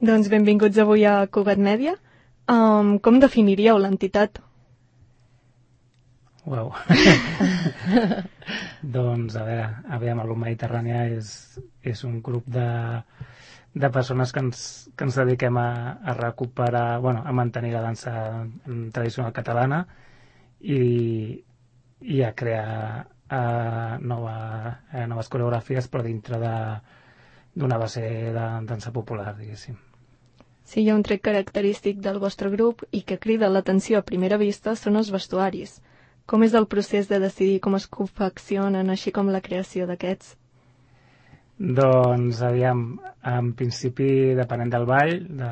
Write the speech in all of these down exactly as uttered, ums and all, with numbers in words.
Doncs benvinguts avui a Cugat Mèdia. Um, com definiríeu l'entitat? Uau. Doncs, a veure, aviam, el grup Mediterrània és, és un grup de, de persones que ens, que ens dediquem a, a recuperar, bueno, a mantenir la dansa tradicional catalana i, i a crear uh, nova, uh, noves coreografies, però dintre de d'una base de dansa popular, diguéssim. Sí, hi ha un tret característic del vostre grup i que crida l'atenció a primera vista són els vestuaris. Com és el procés de decidir com es confeccionen, així com la creació d'aquests? Doncs, aviam, en principi, depenent del ball, de,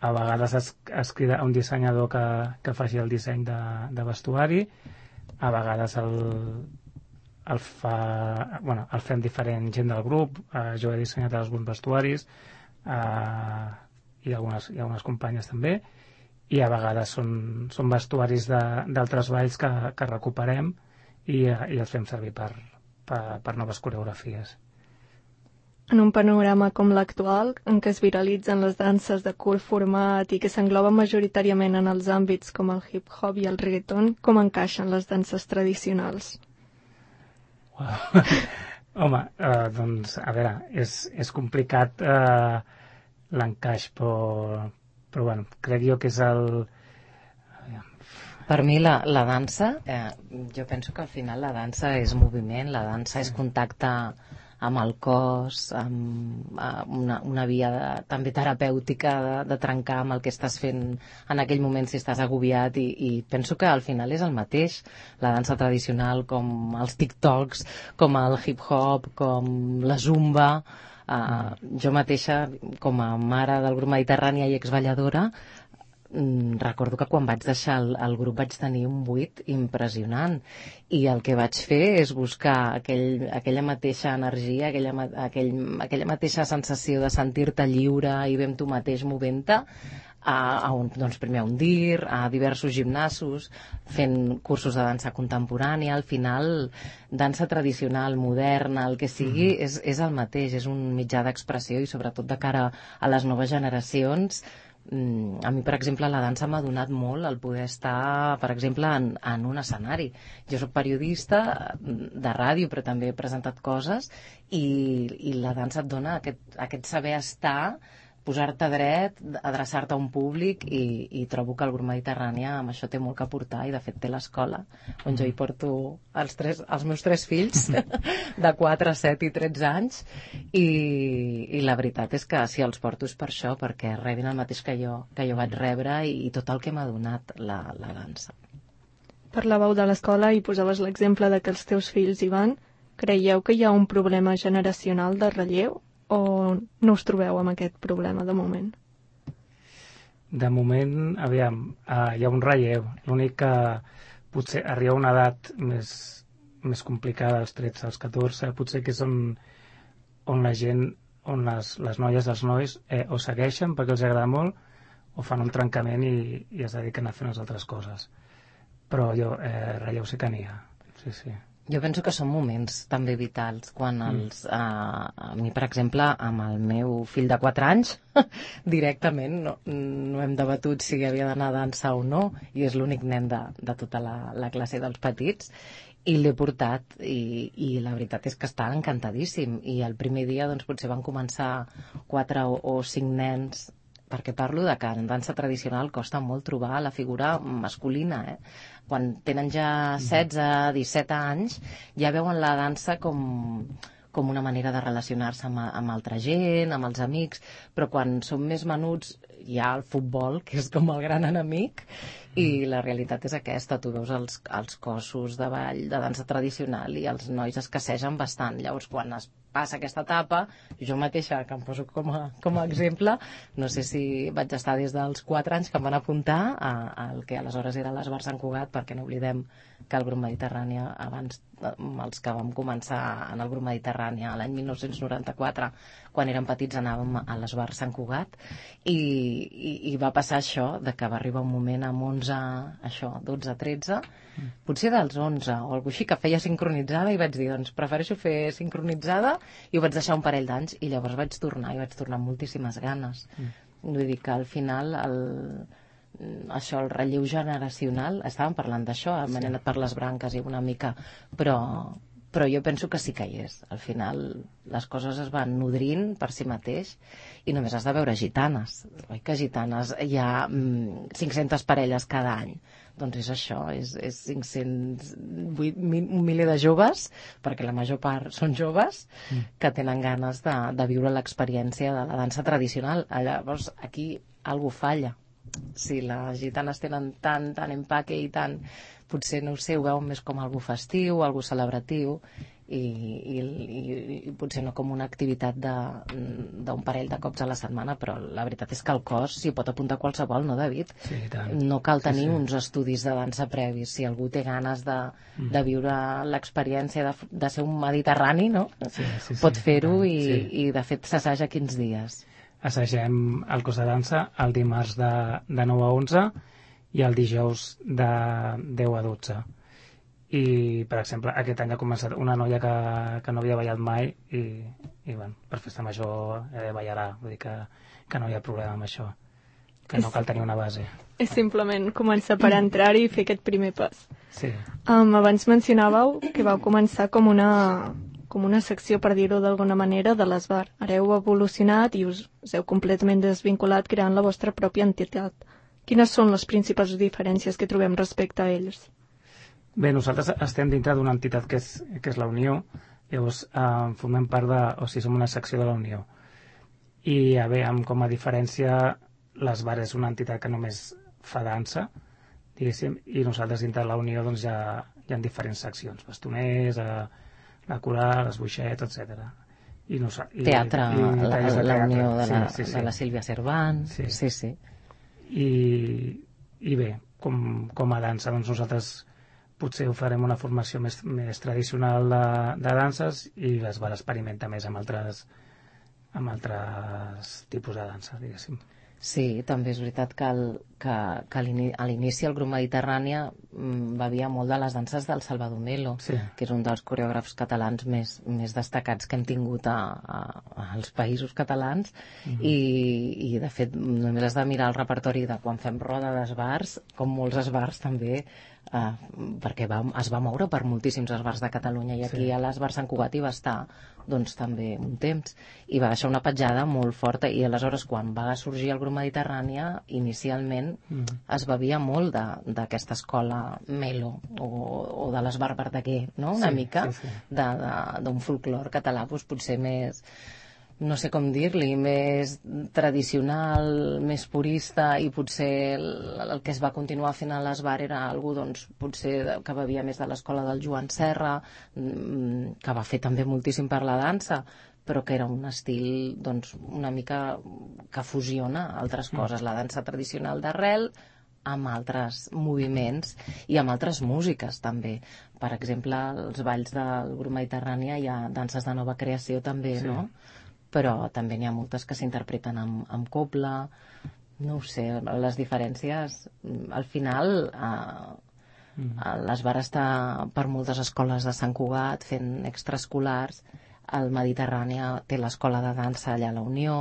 a vegades es, es crida un dissenyador que, que faci el disseny de, de vestuari, a vegades el, el, fa, bueno, el fem diferent gent del grup, eh, jo he dissenyat alguns vestuaris, eh, i, algunes, i algunes companyes també, i a vegades són, són vestuaris d'altres balls que, que recuperem i, i els fem servir per, per, per noves coreografies. En un panorama com l'actual, en què es viralitzen les danses de curt format i que s'engloben majoritàriament en els àmbits com el hip-hop i el reggaeton, com encaixen les danses tradicionals? Wow. Home, eh, doncs, a veure, és, és complicat eh, l'encaix, però, però bueno, crec jo que és el... Per mi la, la dansa, eh, jo penso que al final la dansa és moviment, la dansa és contacte amb el cos, amb, amb una, una via de, també terapèutica de, de trencar amb el que estàs fent en aquell moment si estàs agobiat i, i penso que al final és el mateix, la dansa tradicional com els TikToks, com el hip-hop, com la zumba. Uh, jo mateixa, com a mare del grup Mediterrània i exballadora, recordo que quan vaig deixar el, el grup vaig tenir un buit impressionant i el que vaig fer és buscar aquell, aquella mateixa energia, aquella, aquell, aquella mateixa sensació de sentir-te lliure i ben tu mateix movent-te a, a un, doncs primer a un dir, a diversos gimnasos, fent cursos de dansa contemporània. Al final, dansa tradicional, moderna, el que sigui, mm. és, és el mateix, és un mitjà d'expressió i sobretot de cara a les noves generacions. A mi, per exemple, la dansa m'ha donat molt el poder estar, per exemple, en, en un escenari. Jo soc periodista de ràdio, però també he presentat coses i, i la dansa et dona aquest, aquest saber estar, posar-te dret, adreçar-te a un públic i, i trobo que el grup Mediterrània amb això té molt que aportar i de fet té l'escola on jo hi porto els, tres, els meus tres fills de quatre, set i tretze anys i, i la veritat és que si els porto és per això, perquè rebin el mateix que jo, que jo vaig rebre i, i tot el que m'ha donat la, la dansa. Parlàveu de l'escola i posaves l'exemple de que els teus fills hi van. Creieu que hi ha un problema generacional de relleu? O no us trobeu amb aquest problema de moment? De moment, aviam, uh, hi ha un relleu. L'únic que potser arriba a una edat més, més complicada, als tretze, als catorze, potser que és on, on la gent, on les, les noies, els nois, eh, o segueixen perquè els agrada molt, o fan un trencament i, i es dediquen a fer unes altres coses. Però jo, eh, relleu sí que n'hi ha. Sí, sí. Jo penso que són moments també vitals quan els, mm. eh, a mi per exemple amb el meu fill de quatre anys directament no, no hem debatut si havia d'anar a dansa o no i és l'únic nen de, de tota la, la classe dels petits i l'he portat i, i la veritat és que està encantadíssim i el primer dia doncs potser van començar quatre o, o cinc nens perquè parlo de que en dansa tradicional costa molt trobar la figura masculina, eh? Quan tenen ja setze, disset anys, ja veuen la dansa com, com una manera de relacionar-se amb, amb altra gent, amb els amics, però quan són més menuts hi ha el futbol, que és com el gran enemic, i la realitat és aquesta, tu veus els, els cossos de ball, de dansa tradicional, i els nois escassegen bastant. Llavors, quan es passa aquesta etapa, jo mateixa, que em poso com a, com a exemple, no sé si vaig estar des dels quatre anys que em van apuntar al que aleshores era l'Esbar Sant Cugat, perquè no oblidem que el grup Mediterrània, abans els que vam començar en el grup Mediterrània l'any mil nou-cents noranta-quatre, quan érem petits anàvem a l'Esbar Sant Cugat, i, i, i va passar això, de que va arribar un moment amb onze, això, dotze, tretze, potser dels onze o alguna així, que feia sincronitzada i vaig dir, doncs prefereixo fer sincronitzada i ho vaig deixar un parell d'anys i llavors vaig tornar i vaig tornar amb moltíssimes ganes. Mm. Vull dir que al final el, això, el relleu generacional, estàvem parlant d'això, hem anat per les branques i una mica, però, però jo penso que sí que hi és. Al final les coses es van nodrint per si mateix i només has de veure gitanes. Oi que gitanes hi ha mm, cinc-centes parelles cada any? Doncs és això, és, és cinc-cents, un miler de joves, perquè la major part són joves, mm. que tenen ganes de, de viure l'experiència de la dansa tradicional. Llavors aquí algú falla. Si les gitanes tenen tant, tant empaque i tant, potser, no ho sé, ho veuen més com algú festiu, algú celebratiu, i, i, i, i potser no com una activitat d'un parell de cops a la setmana, però la veritat és que el cos s'hi pot apuntar qualsevol, no, David? Sí, tant. No cal tenir sí, sí. uns estudis de dansa previs. Si algú té ganes de, mm. de viure l'experiència de, de ser un mediterrani, no? Sí, sí, sí, pot fer-ho i, sí. i de fet s'assaja quins dies? Assagem el curs de dansa el dimarts de, de nou a onze i el dijous de deu a dotze. I, per exemple, aquest any ha començat una noia que, que no havia ballat mai i, i bueno, per festa major eh, ballarà, vull dir que, que no hi ha problema amb això, que no cal tenir una base. És simplement començar per entrar-hi i fer aquest primer pas. Sí. Um, abans mencionàveu que vau començar com una, com una secció, per dir-ho d'alguna manera, de l'Esbar. Ara heu evolucionat i us, us heu completament desvinculat creant la vostra pròpia entitat. Quines són les principals diferències que trobem respecte a ells? Bé, nosaltres estem dintre d'una entitat que és, que és la Unió, llavors eh, formem part de, o sigui, som una secció de la Unió. I a veure, com a diferència, l'Esbar és una entitat que només fa dansa, diguéssim, i nosaltres dintre de la Unió doncs, hi, ha, hi ha diferents seccions, bastoners, eh, la coral, esboixet, etcètera. I no, i, teatre, i, i la, de la Unió de la, sí, sí, sí. de la Sílvia Cervant, sí, sí. sí. I, i bé, com, com a dansa, doncs nosaltres potser ho farem una formació més, més tradicional de, de danses i l'Esbar experimenta més amb altres, amb altres tipus de dansa, diguéssim. Sí, també és veritat que, el, que, que a l'inici el grup Mediterrània bevia molt de les danses del Salvador Melo, sí. que és un dels coreògrafs catalans més, més destacats que hem tingut a, a, als països catalans, uh-huh. i, i de fet només has de mirar el repertori de quan fem roda d'esbars, com molts esbars també, eh, perquè va, es va moure per moltíssims esbars de Catalunya, i aquí sí. a l'esbar Sant Cugat hi va estar doncs també un temps, i va deixar una petjada molt forta, i aleshores quan va sorgir el grup Mediterrània, inicialment mm. es bevia molt d'aquesta escola Melo, o, o de l'esbar Verdaguer, no? Una sí, mica sí, sí. d'un folclor català, doncs potser més, no sé com dir-li, més tradicional, més purista, i potser el, el que es va continuar fent a l'esbar era algú, doncs, potser que bevia més de l'escola del Joan Serra, que va fer també moltíssim per la dansa, però que era un estil, doncs, una mica que fusiona altres coses, la dansa tradicional d'arrel amb altres moviments i amb altres músiques també. Per exemple, els balls del grup Mediterrània hi ha danses de nova creació també, sí. no? Però també n'hi ha moltes que s'interpreten amb, amb cobla, no ho sé, les diferències, al final eh, mm. l'esbar està per moltes escoles de Sant Cugat fent extraescolars, el Mediterrània té l'escola de dansa allà a la Unió,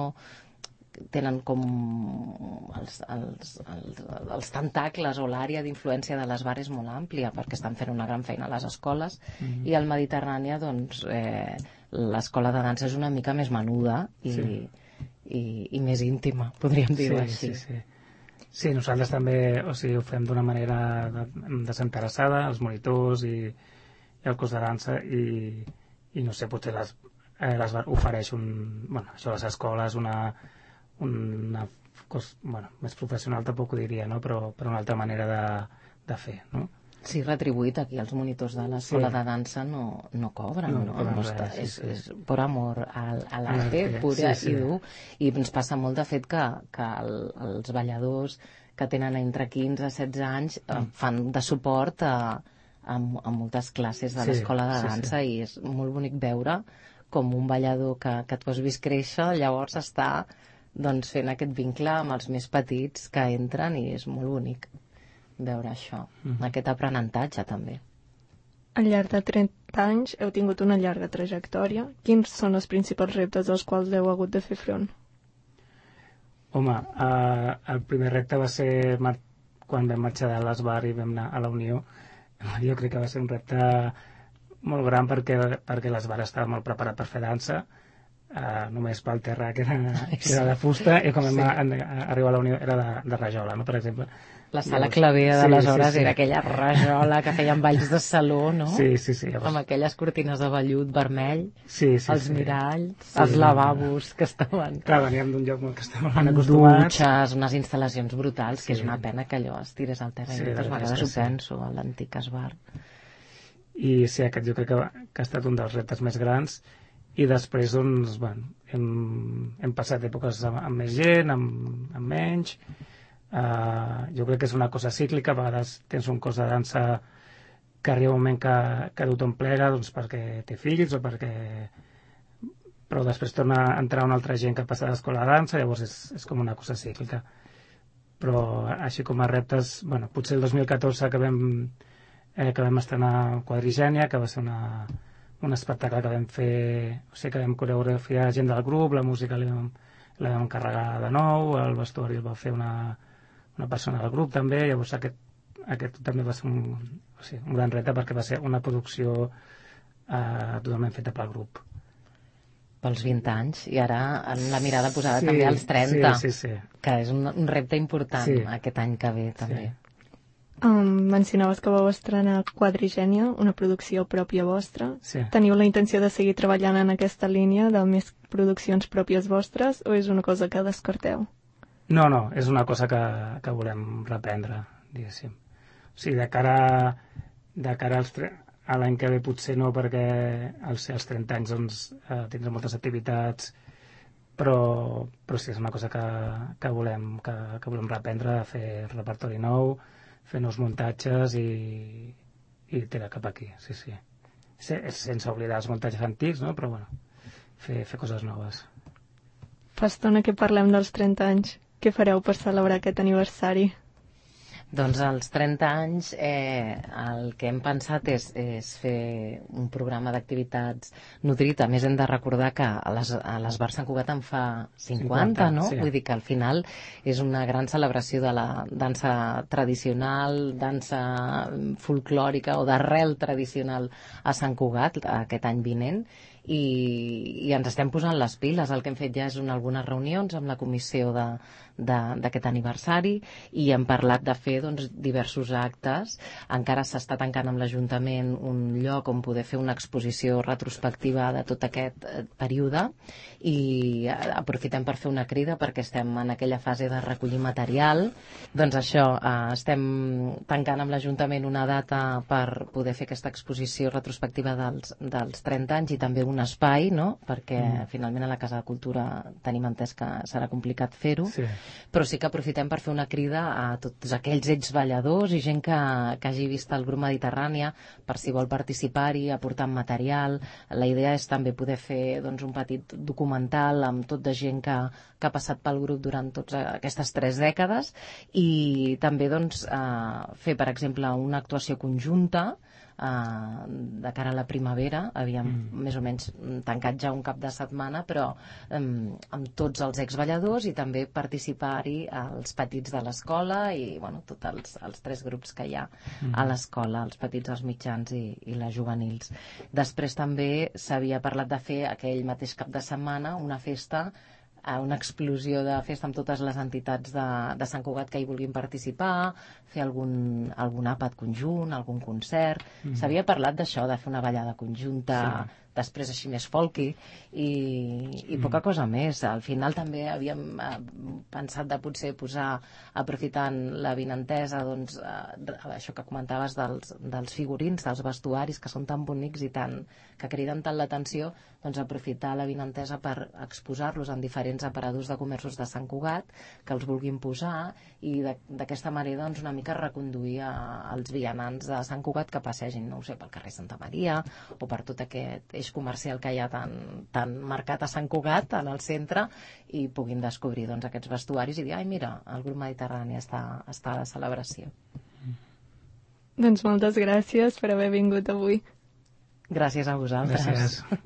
tenen com els, els, els, els tentacles o l'àrea d'influència de l'esbar és molt àmplia perquè estan fent una gran feina a les escoles, mm. i al Mediterrània doncs eh, l'escola de dansa és una mica més menuda i, sí. i, i més íntima, podríem dir-ho sí, així. Sí, sí. sí, nosaltres també o sigui, ho fem d'una manera desinteressada, els monitors i, i el cos de dansa, i, i no sé, potser les, eh, les ofereix un, bueno, això a les escoles una, una cos, bueno, més professional tampoc ho diria, no? però, però una altra manera de, de fer, no? Sí, retribuït. Aquí els monitors de l'escola sí. de dansa no, no cobren, no? no, no està, res, sí, és, sí. és per amor al, a l'arte, ah, pura sí, sí. i dur. I ens passa molt de fet que, que el, els balladors que tenen entre quinze i setze anys mm. fan de suport a, a, a moltes classes de sí, l'escola de dansa, sí, sí. i és molt bonic veure com un ballador que, que tu has vist créixer llavors està doncs, fent aquest vincle amb els més petits que entren, i és molt bonic veure això, mm-hmm. aquest aprenentatge també. Al llarg de anys heu tingut una llarga trajectòria. Quins són els principals reptes als quals heu hagut de fer front? Home, eh, el primer repte va ser mar- quan vam marxar de l'Esbar i vam anar a la Unió. Jo crec que va ser un repte molt gran perquè, perquè l'Esbar estava molt preparat per fer dansa, eh, només pel terra que era, que era de fusta, i quan vam Sí. a- arribar a la Unió era de, de rajola, no? Per exemple. La sala Llavors, clavera sí, d'aleshores sí, sí. era aquella rajola que feien balls de saló, no? Sí, sí, sí. Llavors, Amb aquelles cortines de vellut vermell, sí, sí, els sí. miralls, Sí, els no, lavabos que estaven... Clar, veníem d'un lloc molt que estàvem amb acostumats. dutxes, unes instal·lacions brutals, que Sí. és una pena que allò es tirés al terra. Sí, I la moltes veritat és vegades que ho sí. penso, a l'antic esbar. I sí, aquest jo crec que, va- que ha estat un dels reptes més grans. I després, doncs, bueno, hem, hem passat èpoques amb, amb més gent, amb, amb menys. Uh, jo crec que és una cosa cíclica. A vegades tens un cos de dansa que arriba un moment que, que tothom plega, doncs, perquè té fills o perquè... Però després torna a entrar una altra gent que passa a l'escola de dansa, llavors és, és com una cosa cíclica. Però així com a reptes, bueno, potser el dos mil catorze que vam, eh, que vam estrenar Quadrigènia, que va ser una, un espectacle que vam fer, o sigui, que vam coreografiar gent del grup, la música la vam, la vam encarregar de nou, el vestuari el va fer una, una persona del grup també, llavors aquest, aquest també va ser un, o sigui, un gran repte perquè va ser una producció eh, totalment feta pel grup. Pels vint anys, i ara amb la mirada posada Sí, també als trenta, sí, sí, sí. que és un, un repte important Sí. aquest any que ve també. Sí. Um, mencionaves que vau estrenar Quadrigènia, una producció pròpia vostra. Sí. Teniu la intenció de seguir treballant en aquesta línia de més produccions pròpies vostres o és una cosa que descarteu? No, no, és una cosa que, que volem reprendre, diguéssim. O sigui, de cara, de cara als tre- a l'any que ve potser no, perquè al ser els trenta anys doncs, eh, tindrem moltes activitats, però, però sí, és una cosa que, que, volem, que, que volem reprendre, fer repertori nou, fer nous muntatges i, i tirar cap aquí, sí, sí. Se, sense oblidar els muntatges antics, no? Però bueno, fer, fer coses noves. Fa estona que parlem dels trenta anys. Què fareu per celebrar aquest aniversari? Doncs als trenta anys eh, el que hem pensat és, és fer un programa d'activitats nutrit. A més, hem de recordar que a les, a l'Esbar Sant Cugat en fa cinquanta, no? Sí. Vull dir que al final és una gran celebració de la dansa tradicional, dansa folclòrica o d'arrel tradicional a Sant Cugat aquest any vinent. I, i ens estem posant les piles. El que hem fet ja és una, algunes reunions amb la comissió de, de, d'aquest aniversari i hem parlat de fer doncs, diversos actes. Encara s'està tancant amb l'Ajuntament un lloc on poder fer una exposició retrospectiva de tot aquest eh, període i aprofitem per fer una crida perquè estem en aquella fase de recollir material. Doncs això, eh, estem tancant amb l'Ajuntament una data per poder fer aquesta exposició retrospectiva dels, dels trenta anys i també un espai, no? Perquè mm. finalment a la Casa de Cultura tenim entès que serà complicat fer-ho, Sí. però sí que aprofitem per fer una crida a tots aquells exballadors i gent que, que hagi vist el grup Mediterrània per si vol participar-hi, aportar material. La idea és també poder fer doncs, un petit documental amb tot de gent que, que ha passat pel grup durant totes aquestes tres dècades i també doncs, eh, fer, per exemple, una actuació conjunta Uh, de cara a la primavera. Havíem mm. més o menys tancat ja un cap de setmana, però um, amb tots els exballadors i també participar-hi els petits de l'escola i bueno, tots els, els tres grups que hi ha mm. a l'escola, els petits, els mitjans i, i les juvenils. Després també s'havia parlat de fer aquell mateix cap de setmana una festa, una explosió de festa amb totes les entitats de, de Sant Cugat que hi vulguin participar, fer algun, algun àpat conjunt, algun concert. Mm. S'havia parlat d'això, de fer una ballada conjunta, sí. Després així més folky i, i mm. poca cosa més. Al final també havíem eh, pensat de potser posar, aprofitant la vinentesa, doncs, eh, això que comentaves dels, dels figurins, dels vestuaris que són tan bonics i tan, que criden tant l'atenció, doncs aprofitar la vinentesa per exposar-los en diferents aparadors de comerços de Sant Cugat que els vulguin posar i d'aquesta manera doncs, una mica reconduir als vianants de Sant Cugat que passegin, no ho sé, pel carrer Santa Maria o per tot aquest eix comercial que hi ha tan, tan marcat a Sant Cugat, en el centre, i puguin descobrir doncs, aquests vestuaris i dir, ai mira, el grup Mediterrani està, està a la celebració. Doncs moltes gràcies per haver vingut avui. Gràcies a vosaltres. Gràcies.